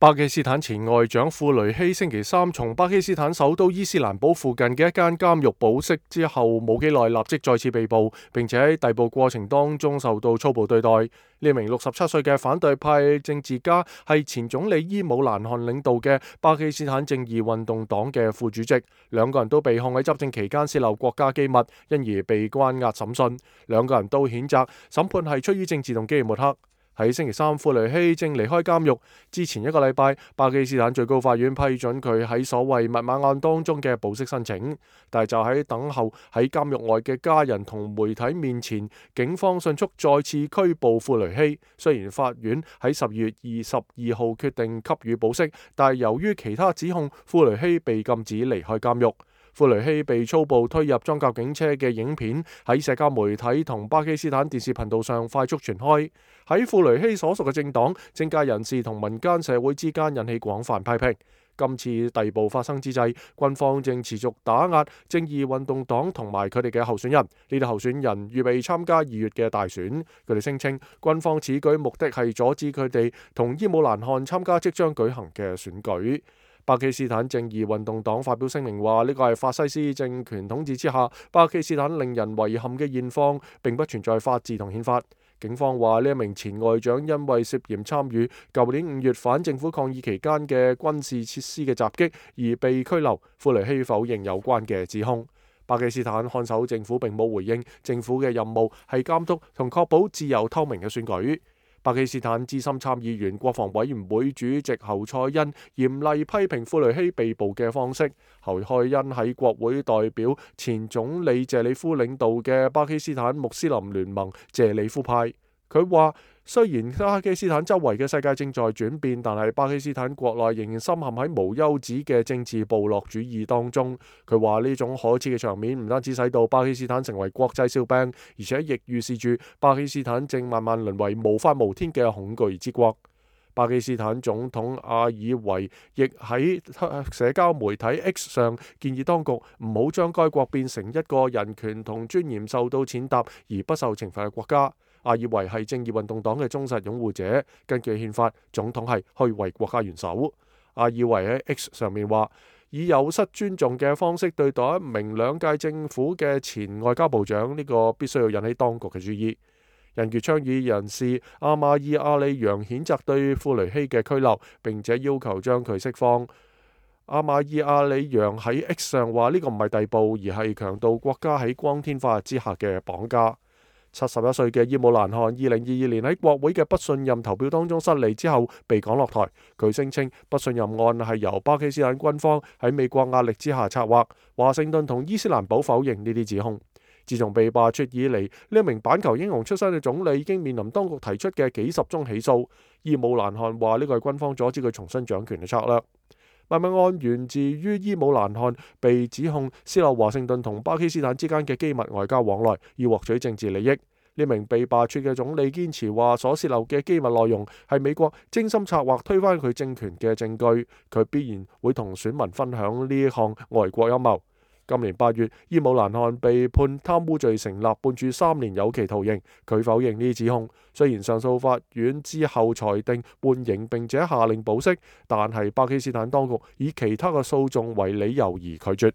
巴基斯坦前外長庫雷希星期三從巴基斯坦首都伊斯蘭堡附近嘅一間監獄保釋之後冇幾耐，立即再次被捕，並且喺逮捕過程當中受到粗暴對待。呢名67歲嘅反對派政治家係前總理伊姆蘭汗領導嘅巴基斯坦正義運動黨嘅副主席，兩個人都被控喺執政期間洩漏國家機密，因而被關押審訊。兩個人都譴責審判係出於政治動機嘅抹黑。喺星期三，庫雷希正離開監獄之前一個禮拜，巴基斯坦最高法院批准佢喺所謂密碼案當中嘅保釋申請，但係就喺等候喺監獄外嘅家人同媒體面前，警方迅速再次拘捕庫雷希。雖然法院喺10月22號決定給予保釋，但係由於其他指控，庫雷希被禁止離開監獄。庫雷希被粗暴推入裝甲警車嘅影片喺社交媒體同巴基斯坦電視頻道上快速傳開，喺庫雷希所屬嘅政黨、政界人士同民間社會之間引起廣泛批評。今次逮捕發生之際，軍方正持續打壓正義運動黨同埋佢哋嘅候選人。呢啲候選人預備參加2月嘅大選，佢哋聲稱軍方此舉目的係阻止佢哋同伊姆蘭汗參加即將舉行嘅選舉。巴基斯坦正義運動黨發表聲明話，呢個係法西斯政權統治之下巴基斯坦令人遺憾嘅現況，並不存在法治同憲法。警方話呢一名前外長因為涉嫌參與舊年5月反政府抗議期間嘅軍事設施嘅襲擊而被拘留。庫雷希否認有關嘅指控。巴基斯坦看守政府並冇回應，政府嘅任務係監督同確保自由透明嘅選舉。巴基斯坦資深參議員國防委員會主席侯賽因嚴厲批評庫雷希被捕嘅方式。侯賽因喺國會代表前總理謝里夫領導嘅巴基斯坦穆斯林聯盟謝里夫派。佢話雖然巴基斯坦周圍嘅世界正在轉變，但係巴基斯坦國內仍然深陷喺無休止嘅政治部落主義當中。佢話呢種可恥嘅場面唔單止使到巴基斯坦成為國際笑柄，而且亦預示住巴基斯坦正慢慢淪為無法無天嘅恐懼之國。巴基斯坦總統阿爾維亦喺社交媒體 X 上建議當局唔好將該國變成一個人權同尊嚴受到踐踏而不受懲罰嘅國家。阿爾維係正義運動黨嘅忠實擁護者，根據憲法，總統係可以為國家元首。阿爾維喺 X 上面話，以有失尊重嘅方式對待一名2屆政府嘅前外交部長，呢個必須要引起當局嘅注意。人權倡議人士阿馬爾阿里揚譴責對庫雷希嘅拘留，並且要求將佢釋放。阿馬爾阿里揚喺 X 上話，呢個唔係逮捕，而係強盜國家喺光天化日之下嘅綁架。71歲嘅伊姆蘭汗2022年喺國會嘅不信任投票當中失利之後被趕落台。佢聲稱不信任案係由巴基斯坦軍方喺美國壓力之下策劃。華盛頓同伊斯蘭堡否認呢啲指控。自從被罷黜以嚟，呢一名板球英雄出身嘅總理已經面臨當局提出嘅幾十宗起訴。伊姆蘭汗話呢個係軍方阻止佢重新掌權嘅策略。密碼案源自於伊姆蘭汗被指控洩漏華盛頓同巴基斯坦之間嘅機密外交往來，以獲取政治利益。呢名被罷黜嘅總理堅持話，所洩漏嘅機密內容係美國精心策劃推翻佢政權嘅證據，佢必然會同選民分享呢項外國陰謀。今年8月，伊姆蘭汗被判貪污罪成立，判處3年有期徒刑。佢否認呢啲指控。雖然上訴法院之後裁定緩刑並且下令保釋，但係巴基斯坦當局以其他嘅訴訟為理由而拒絕。